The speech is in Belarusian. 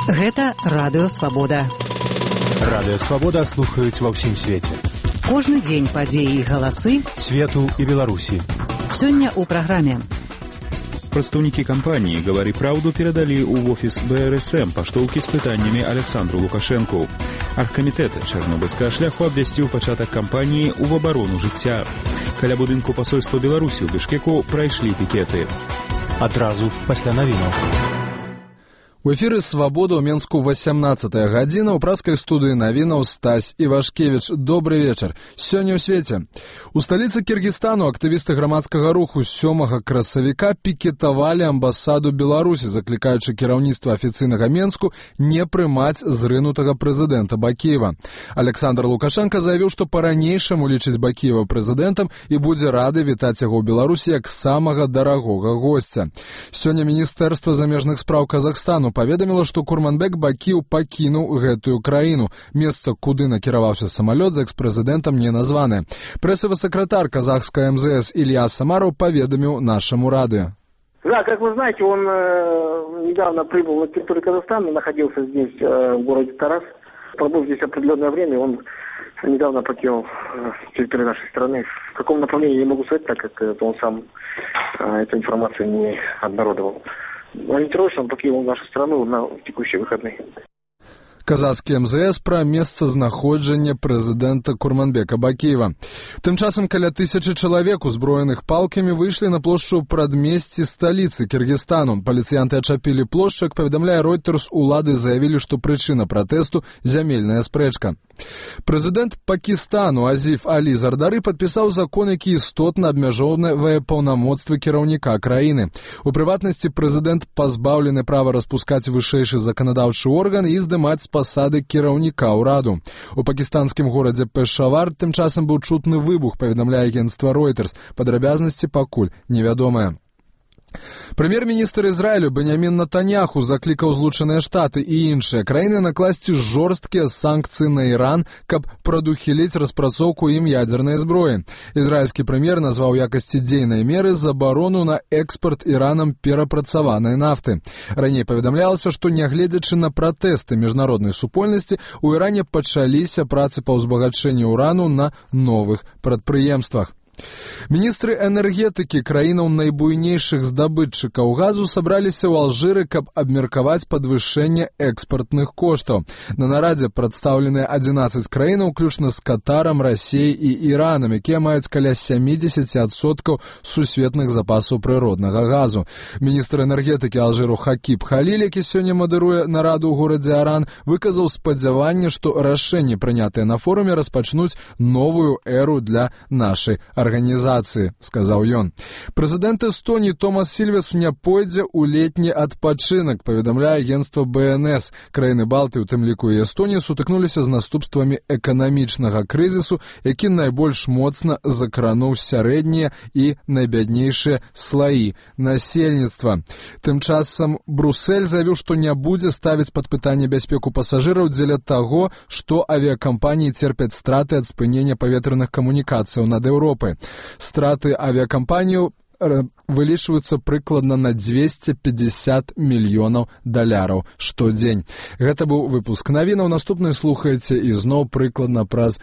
Гэта Радыё Свабода. Радыё Свабода слухаюць ва ўсім свеце. Кожны дзень падзеі і галасы свету і Беларусі. Сёння ў праграме. Прадстаўнікі кампаніі «Гавары праўду» перадалі ў офіс БРСМ паштоўкі з пытаннямі Александру Лукашэнку. Аргкамітэт чарнобыльскага шляху абвясціў пачатак кампаніі ў абарону жыцця. Каля будынку пасольства Беларусі ў Бішкеку прайшлі пікеты. Адразу пасля навінаў. У эфіры «Свабода» ў Менску 18-я гадзіна. У праскай студыі навінаў Стась Івашкевіч. Добры вечар. Сёння ў свеце. У сталіцы Кіргізстану актывісты грамадскага руху 7 красавіка пікетавалі амбасаду Беларусі, заклікаючы кіраўніцтва афіцыйнага Менску не прымаць зрынутага прэзідэнта Бакіева. Александр Лукашенко заявіў, што па-ранейшаму лічыць Бакіева прэзідэнтам і будзе рады вітаць яго ў Беларусі як самага дарагога госця. Сёння Міністэрства замежных спраў Казахстану паведаміла, што Курманбек Бакіеў пакінуў гэтую краіну. Месца, куды накіраваўся самалёт з экс-прэзідэнтам, не названы. Прэсавы сакратар казахская МЗС Илья Самаров поведомил нашему радио. Да, как вы знаете, он недавно прибыл на территорию Казахстана, находился здесь, в городе Тарас. Пробыв здесь определенное время, он недавно покинул территорию нашей страны. В каком направлении, я не могу сказать, так как он сам эту информацию не обнародовал. Ориентировочно он покинул нашу страну на текущие выходные. Казахскі МЗС пра месцазнаходжанне прэзідэнта Курманбека Бакіева. Тым часам каля 1000 чалавек, узброеных палкамі, выйшлі на плошчу прадмесці сталіцы Кіргізстану. Паліцыянты ачапілі плошчу, як паведамляе Reuters, улады заявілі, што прычына пратэсту – зямельная спрэчка. Прэзідэнт Пакістану Азіф Алі Зардары падпісаў закон, які істотна абмяжоўвае паўнамоцтвы кіраўніка краіны. У прыватнасці, прэзідэнт пазбаўлены права распускаць вышэйшы заканадаўчы орган і здымаць з пасады кіраўніка ўраду. У пакістанскім горадзе Пешавар тым часам быў чутны выбух, паведамляе агенцтва Reuters. Падрабязнасці пакуль невядомыя. Прэм'ер-міністр Ізраілю Беньямін Нетаньяху заклікаў Злучаныя Штаты і іншыя краіны накласці жорсткія санкцыі на Іран, каб прадухіліць распрацоўку ім ядзернай зброі. Ізраільскі прэм'ер назваў якасці дзейнай меры забарону на экспарт Іранам перапрацаванай нафты. Раней паведамлялася, што нягледзячы на пратэсты міжнароднай супольнасці, у Іране пачаліся працы па ўзбагачэнню урану на новых прадпрыемствах. Міністры энергетыкі краінаў найбуйнейшых здабытчыкаў газу сабраліся ў Алжыры, каб абмеркаваць падвышэнне экспартных коштаў. На нарадзе прадстаўленыя 11 краінаў, уключна з Катарам, Расіяй і Іранам, якія маюць каля 70% сусветных запасаў прыроднага газу. Міністр энергетыкі Алжыру Хакіб Халіль, які сёння мадыруе нараду ў горадзе Аран, выказаў спадзяванне, што рашэнні, прынятыя на форуме, распачнуць новую эру для нашай арганізацыі, сказаў ён. Прэзідэнт Эстоніі Томас Сільвес не пойдзе ў летні адпачынак, паведамляе агенцтва БНС. Краіны Балты, у тым ліку і Эстонія, сутыкнуліся з наступствамі эканамічнага крызісу, які найбольш моцна закрануў сярэднія і найбяднейшыя слаі насельніцтва. Тым часам Брусэль заявіў, што не будзе ставіць пад пытанне бяспеку пасажыраў дзеля таго, што авіякампаніі церпяць страты ад спынення паветраных камунікацыяў над Еўропай. Страты авиакомпанию вылічваюцца прыкладна на $250 мільёнаў штодзень. Гэта быў выпуск навінаў. Наступны слухаеце ізноў прыкладна праз